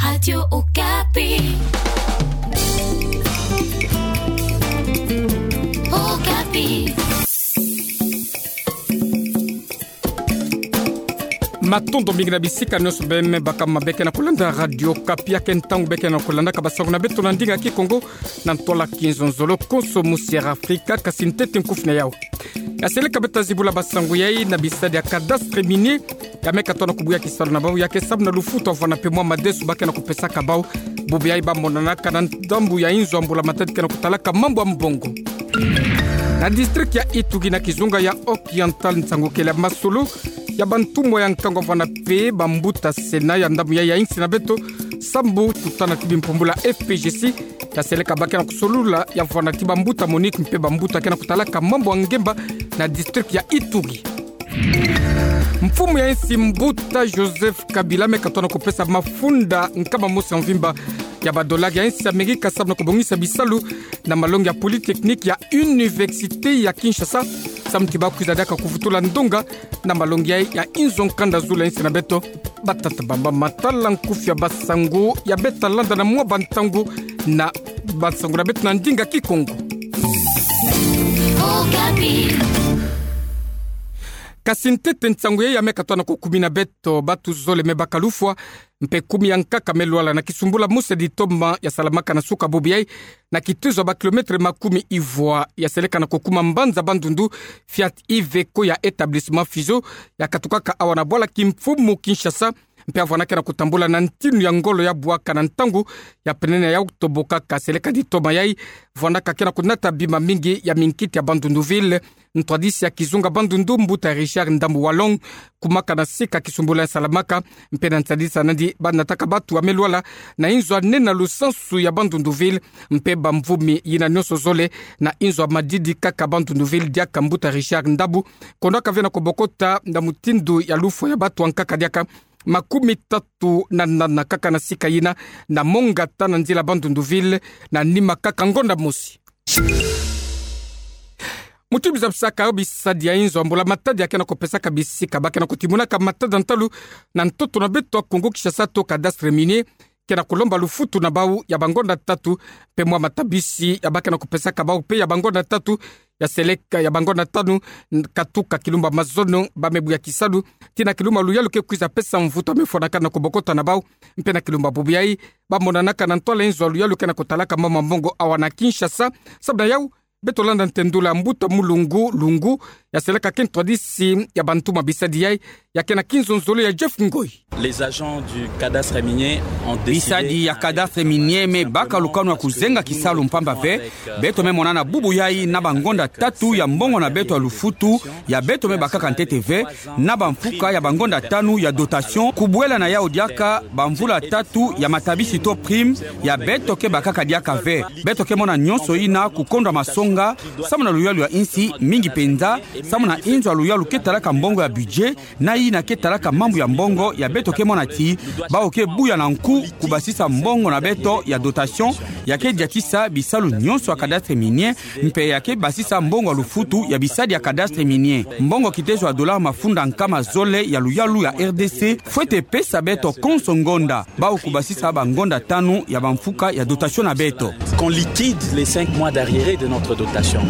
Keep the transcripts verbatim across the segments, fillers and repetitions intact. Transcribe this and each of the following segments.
Radio Okapi. Okapi. Matondo mingi na bisika nyonso bê me baka mabe ke na kolanda Radio Okapi. Ya ke ntangu bê ke na kolandaka basango na beto na ndinga Kikongo, na ntwala kinzonzolo konso musi ya Afrika, kasi ntete nkufi na yau. Ya seleka bê ta zibula basango yai na bisadi ya cadastre minier, ya me katoa na kubuya kisalu na bau, ya ke samu na lufutu avwana mpe mwa madesu ba ke na kopesaka bau. Bubu yai ba monanaka na ndambu ya inzo ya mbula matadi ke na kotalaka mambu ya mbongo. Na district ya Ituri na kizunga ya Occidental, nsangu kele ya masolo ya bantumwa ya nkangu avwana mpe bambuta Sénat ya ndambu yai ya insi na beto, sambu tutana ti bimpumbula F P J C, ya seleka ba ke na kosolula ya vwana ti bambuta MONUC mpe bambuta ke na kotalaka mambu ya ngemba na district ya Ituri. Mfumu ya insi mbuta Joseph Kabila me katoa na kopesa mafunda nkama mosi ya mvimba ya badolari ya insi Amerika samu na kobongisa bisalu na malongi ya polytechnique ya Université ya Kinshasa, samu ti ba kwiza diaka kuvutula ndonga na malongi ya, ya inzo nkanda zulu ya insi na beto. Batata bamama, tala nkufi ya basango ya bê ta landa na mwa bantangu na basango na beto na ndinga Kikongo. Okapi. Kasi ntete nsangu yai ya me katoa na kokumina beto, batu zole me baka lufwa, mpe kumi ya nkaka me lwala na kisumbula mosi ya ditoma ya salamaka na suka bubu yai, na kitezo ya ba kilomètre makumi ivwa, ya seleka na kokuma mbanza Bandundu, Fiat Iveco ya établissement Figeac, ya katukaka awa na bwala kimfumu Kinshasa, mpe ya vwanaka ke na kotambula na ntinu ya ngolo ya bwaka na ntangu ya penene ya oktobre kaka. Seleka ditoma yai vwanaka ke na konata bima mingi ya minkiti ya Bandundu ville. Ntwadisi ya kizunga Bandundu, mbuta Richard Ndambu Walong, kumaka na sika kisumbula ya salamaka, mpe na nsadisa nandi ba nataka batu ya me lwala na inzo ya nene na lusansu ya Bandundu ville, mpe bamvumi yina nyonso zole na inzo ya madidi kaka Bandundu ville, diaka mbuta Richard Ndambu, kondaka ve na kobokota na mutindu ya lufwa ya batu ya nkaka diaka makumi tatu na nana kaka na sika yina, na Mongata na nzila Bandundu ville, na nima kaka ngonda mosi. Mutu biza bisaka yo bisadi ya inzo ya mbula matadi ya ke na kopesaka bisika ba ke na kotimunaka matada ntalu na ntoto na beto ya Kongo Kinshasa to cadastre minier, ke na kolomba lufutu na bau ya bangonda tatu, mpe mwa matabisi ya ba ke na kopesaka bau mpe ya bangonda tatu, ya seleka ya bangonda tanu, n-, katuka kilumba mazono ba me buya kisalu, tii na kilumba luyalu ke kwiza pesa mvutu ya me fwanaka na kobokota na bau, mpe na kilumba bubu yai ba monanaka na ntwala inzo ya luyalu ke na kotalaka mama mbongo awa na Kinshasa. Sabu na yau, beto landa ntendula mbuta Mulungu Lungu, ya seleka ke ntwadisi ya bantu ma bisadi yai, ya ke na kinzonzolo ya Jeff Ngoi. Les agents du cadastre minier ont décidé... Bisadi ya cadastre minier me baka lukanu ya kuzenga kisalu mpamba ve. Beto me mona na bubu yai na bangonda tatu ya mbongo na beto ya lufutu, ya beto me bakaka ntete ve, na bamfuka ya bangonda tanu ya dotation, kubwela na yau diaka bamvula tatu ya matabisi to prime, ya beto ke bakaka diaka ve. Beto ke mona nyonso yina kukondwa masonga, samu na luyalu ya insi, mingi penza samu na inzo ya luyalu ke talaka mbongo ya budget, na yina ke talaka mambu ya mbongo, ya beto ke mona ti bau ke buya na nku kubasisa mbongo na beto ya dotation, ya ke diatisa bisalu nyonso ya cadastre minier, mpe ya ke basisa mbongo ya lufutu ya bisadi ya cadastre minier. Mbongo kitezo ya dollar mafunda nkama zole ya luyalu ya R D C fwete pesa beto konso ngonda, bau kubasisa bangonda tanu ya bamfuka ya dotation na beto. Qu'on liquide les cinq mois d'arriérés de notre dotation.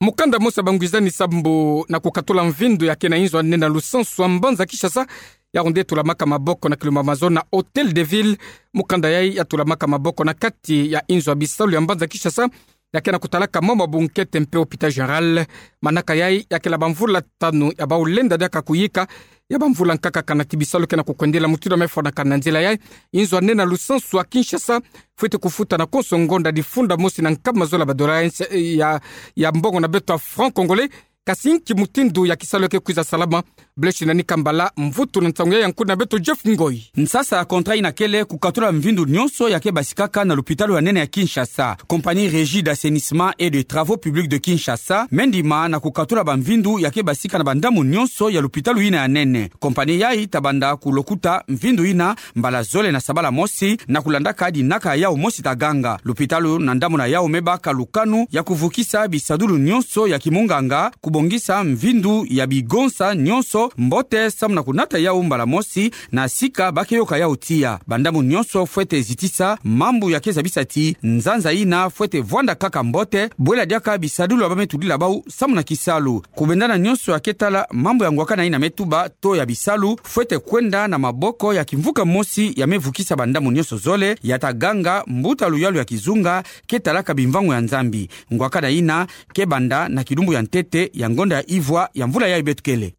Mukanda mosi ya bangwizani sambu na kukatula mvindu ya ke na inzo ya nene na lusansu ya mbanza Kinshasa, yau nde tulamaka maboko na kilumba mazono na Hôtel de Ville. Mukanda yai ya tulamaka maboko na kati ya inzo ya bisalu ya mbanza Kinshasa, ya ke na kutalaka mama bunkete mpe Hôpital Général. Manaka yai ya kela bamvula tanu ya bau lenda diaka kuyika, ya bamvula nkaka kana ti bisalu ke na kukwendela mutindu ya me fwanaka na nzila yai. Inzo ya nene na lusansu ya Kinshasa fwete kufuta na konso ngonda difunda mosi na nkama zole ya badollar ya, ya, ya mbongo na beto ya franc congolais. Kasi nki mutindu ya kisalu ke kwiza salama? Blech na Nikambala, mvutu na nsangu yai ya nkuna beto Jeff Ngoi. Nsasa ya contrat yina kele kukatula mvindu nyonso ya ke basikaka na lupitalu ya nene ya Kinshasa. Compagnie Régie d'assainissement et de travaux publics de Kinshasa me ndima na kukatula bamvindu ya ke basika na bandambu nyonso ya lupitalu yina ya nene. Compagnie yai ta banda kulokuta mvindu yina mbala zole na sabala mosi, na kulandaka dinaka ya yau mosi ta ganga. Lupitalu na ndambu na yau me baka lukanu ya kuvukisa bisadulu nyonso ya kimunganga, bongisa mvindu ya bigonsa nyonso mbote samu na kunata yau mbala mosi na sika ba ke yoka yau tiya. Bandambu nyonso fwete zitisa mambu ya ke zabisa ti nzanza yina fwete vwanda kaka mbote, bwela diaka bisadulu ya ba me tudila bau samu na kisalu. Kubendana nyonso ya ke tala mambu ya ngwakana yina me tuba to ya bisalu, fwete kwenda na maboko ya kimvuka mosi ya me vukisa bandambu nyonso zole, ya ta ganga mbuta luyalu ya kizunga ke talaka bimvango ya Nzambi. Ngwakana yina ke banda na kilumbu ya ntete ya ngonda ya ivwa ya mvula yayi beto kele.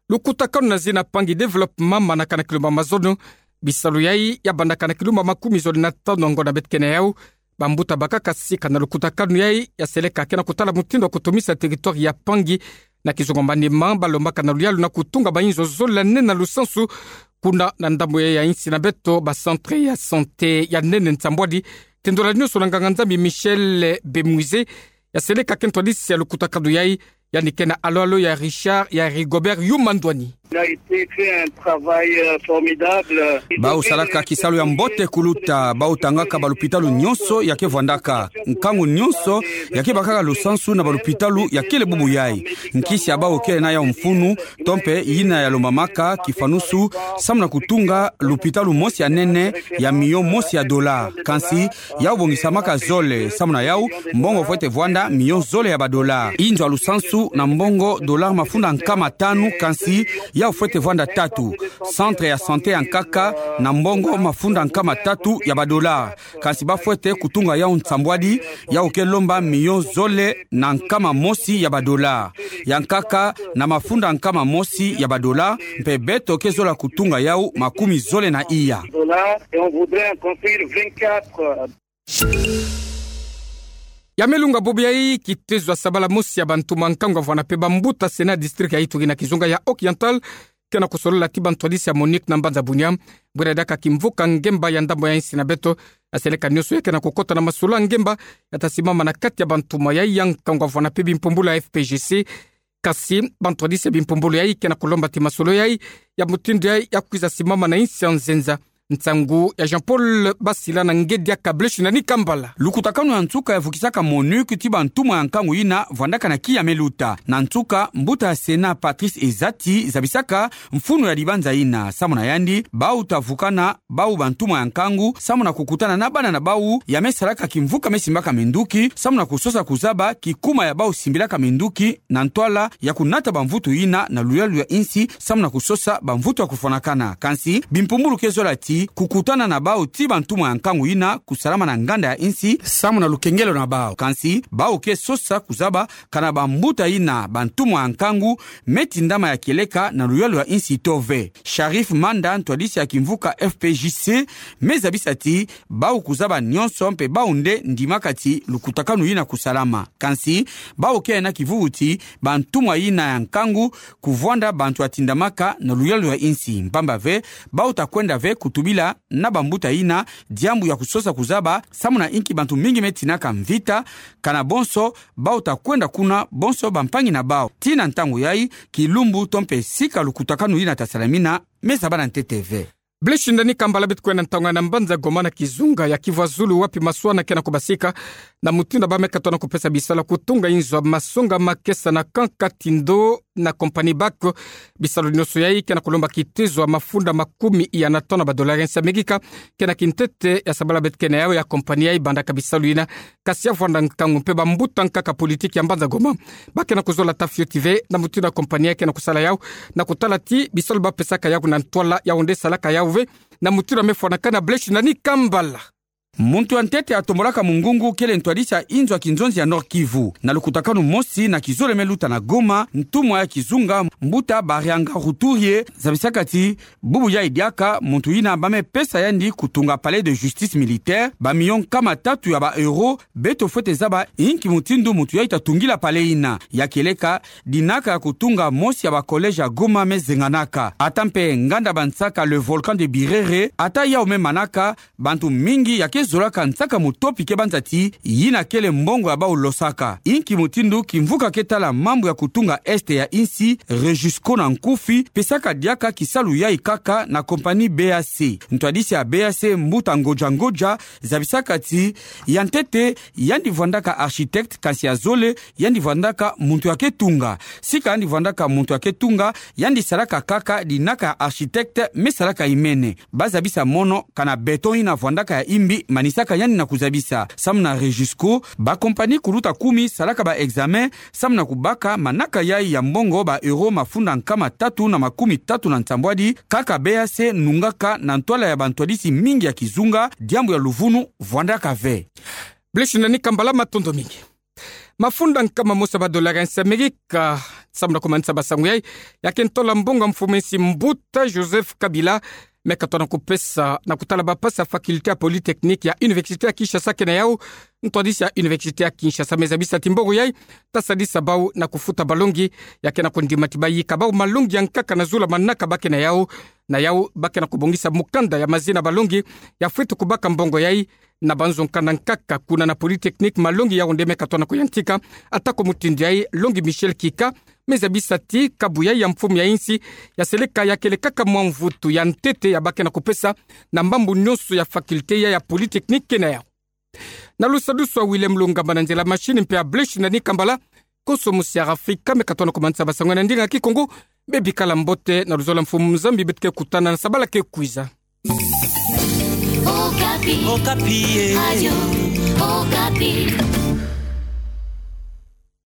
Lukutakanu na zina Pangi Development manaka na kilumbu ya mazono. Bisalu yayi ya bandaka na kilumbu ya makumi zole na tanu ya ngonda beto kele na yau. Bambuta bakaka sika na lukutakanu yayi ya seleka ke na kutala mutindu ya kutumisa territoire ya Pangi na kizunga manima ba lombaka na luyalu na kutunga ba inzo zole na nene na lusansu kuna na ndambu yayi ya insi na beto, ba centre ya santé ya nene nsambwadi. Tendula nyonso na nganga-Nzambi Michel Bemuize ya seleka ke ntwadisi ya lukutakanu yayi, yandi ke na alo-alo ya Richard ya Rigobert Yuma Ndwani. Il a été fait un travail, euh, formidable. Bau salaka kisalu ya mbote kuluta, bau tangaka balupitalu nyonso ya ke vwandaka. Nkangu nyonso ya ke bakaka lusansu na balupitalu ya kele bubu yayi. Nkisi ya bau kele na yau mfunu, to mpe yina ya lombamaka kifanusu, samu na kutunga lupitalu mosi ya nene ya miyo mosi ya dollar. Kansi yau bongisamaka zole, samu na yau mbongo fwete vwanda miyo zole ya ba dollar. Inzo ya lusansu na mbongo dollar mafunda nkama tanu, kansi yau fwete vwanda tatu. Centre ya santé ya nkaka na mbongo mafunda nkama tatu ya ba dollar. Kansi ba fwete kutunga yau nsambwadi, yau ke lomba miyo zole na nkama mosi ya ba dollar. Ya nkaka na mafunda nkama mosi ya ba dollar, mpe beto ke zola kutunga yau makumi zole na iya. Dollar, et on voudrait en construire vingt-quatre. Ya me lunga bubu yayi, kitezo ya sabala mosi ya bantumwa ya nkangu ya vwanda mpe bambuta Sénat district ya Ituri na kizunga ya Occidental ke na kusolola ti bantwadisi ya MONUC na mbanza Bunia, bwela diaka kimvuka ngemba ya ndambu ya insi na beto, ya seleka nyonso ya ke na kukota na masolo ya ngemba ya ta simama na kati ya bantumwa yayi ya nkangu ya vwanda mpe bimpumbulu ya F P G C. Kansi bantwadisi ya bimpumbulu yayi ke na kulomba ti masolo yayi ya mutindu yayi ya kwiza simama na insi ya nzenza. Nsangu ya Jean-Paul Basila na ngedi ya Kablech na Nikambala. Lukutakanu ya nsuka ya vukisaka MONUC ti bantumwa ya nkangu yina vwandaka na kiya me luta. Na nsuka, mbuta ya Sénat Patrice Ezati zabisaka mfunu ya dibanza yina, samu na yandi bau ta vukana bau bantumwa ya nkangu samu na kukutana na bana na bau ya me salaka kimvuka me simbaka minduki, samu na kusosa kuzaba kikuma ya bau simbilaka minduki na ntwala ya kunata bamvutu yina na luyalu ya insi, samu na kusosa bamvutu ya kufwanakana. Kansi bimpumbulu ke zola ti kukutana na bau ti bantumwa ya nkangu yina kusalama na nganda ya insi samu na lukengelo na bau. Kansi bau ke sosa kuzaba kana bambuta yina bantumwa ya nkangu me tindama ya kieleka na luyalu ya insi to ve. Sharif Manda, ntwadisi ya kimvuka F P J C, me zabisa ti bau kuzaba nyonso mpe bau nde ndimaka ti lukutakanu yina kusalama. Kansi bau ke na kivuvu ti bantumwa yina ya nkangu kuvwanda bantu ya tindamaka na luyalu ya insi. Mpamba ve, bau ta kwenda ve kutubila na bambuta yina diambu ya kusosa kuzaba samu na inki bantu mingi me tinaka mvita, kana bonso bau ta kwenda kuna bonso bampangi na bau. Tii na ntangu yayi, kilumbu to mpe sika lukutakanu yina ta salamina me zabana ntete ve. Blaise Shindani Kambala. Beto kwenda ntangu yai na mbanza Goma na kizunga ya Kivu ya Zulu, wapi maswala ke na kubasika na mutindu ba me katuka na kupesa bisalu ya kutunga inzo ya masonga makesa na Camp Katindo na compagnie Bak. Bisalu nyonso yayi ke na kulomba kitezo ya mafunda makumi ya na tanu ya ba dollars ya nsi ya Amerika. Ke na kintete ya sabala beto ke na yau ya compagnie yayi bandaka bisalu yina, kasi ya vwanda nkangu mpe bambuta nkaka politiki ya mbanza Goma ba ke na kuzola ta fioti ve na mutindu ya compagnie yayi ke na kusala yau, na kutala ti bisalu ba pesaka yau na ntwala yau nde salaka yau ve na mutindu ya me fwanakana. Blaise Shindani Kambala. Muntu ya ntete atombolaka mungungu kele ntwadisi ya inzo ya kinzonzi ya Nord-Kivu. Na lukutakanu mosi na kizole me luta na Goma, ntumwa ya kizunga, mbuta Barianga Ruturier, zabisaka ti bubu yayi diaka muntu yina ba me pesa yandi kutunga palais de justice militaire, ba millions nkama tatu ya ba euros. Beto fwete zaba inki mutindu muntu yayi ta tungila palais yina. Ya kieleka, dinaka ya kutunga mosi ya ba collège ya Goma me zenganaka. Ata mpe nganda bansaka le volcan de Birere, ata yau me manaka, bantu mingi ya ke zolaka nsaka moto pike banzati, yina kele mbongo ya bau losaka. Inki mutindu kimvuka ke tala mambu ya kutunga este ya insi, Regisco na nkufi, pesaka diaka kisalu yayi kaka na compagnie B A C. Ntwadisi ya B A C, mbuta Ngodja Ngodja, zabisaka ti, ya ntete, yandi vwandaka architecte, kansi ya zole, yandi vwandaka muntu ya ke tunga. Sika yandi vwandaka muntu ya ke tunga, yandi salaka kaka dinaka ya architecte, me salaka imene. Bazabisa mono, kana béton yina vwandaka ya imbi, manisaka yandi na kuzabisa. Samu na Regisco, ba compagnie kuluta kumi salaka ba examen, samu na kubaka manaka yayi ya mbongo ba euro mafunda nkama tatu na makumi tatu na nsambwadi, kaka B A C nungaka na ntwala ya bantwadisi mingi ya kizunga, diambu ya luvunu vwandaka ve. Blaise Nani Kambala, matondo mingi. Mafunda nkama mosi ya ba dollar ya nsi Amerika, samu na kumanisa basangu yayi, ya ke ntola mbongo ya mfumu ya nsi mbuta Joseph Kabila, me katona kupesa na kutala ba pasi ya faculté ya polytechnique ya Université ya Kinshasa kena yau. Ntwadisi ya Université ya Kinshasa me zabisa ti mbongo yayi, ta sadisa bau na kufuta balongi, ya ke na kundima ti ba yika bau malongi ya nkaka na zula manaka ba kena yau, na yau ba ke na kubongisa mukanda ya mazina balongi, ya fweti kubaka mbongo yayi, na banzo nkanda nkaka kuna na polytechnique malongi yau nde me katona kuyantika, atako mutindu yayi longi Michel Kika, me zabisa ti kabu yayi ya mfumu ya nsi, ya seleka ya kele kaka mwa mvutu ya ntete ya ba ke na kupesa, na mambu nyonso ya faculté ya, ya polytechnique kena yau. Na lusadusu ya Willem Lungamba na nzila machine mpe ya Blaise Nani Kambala, konso musi ya Rafika me katona kumanisa basangu na ndinga Kikongo, bebikala mbote na luzola mfumu Nzambi beto ke kutana na sabala ke kwiza. Okapi. Okapi, eh. Radio Okapi.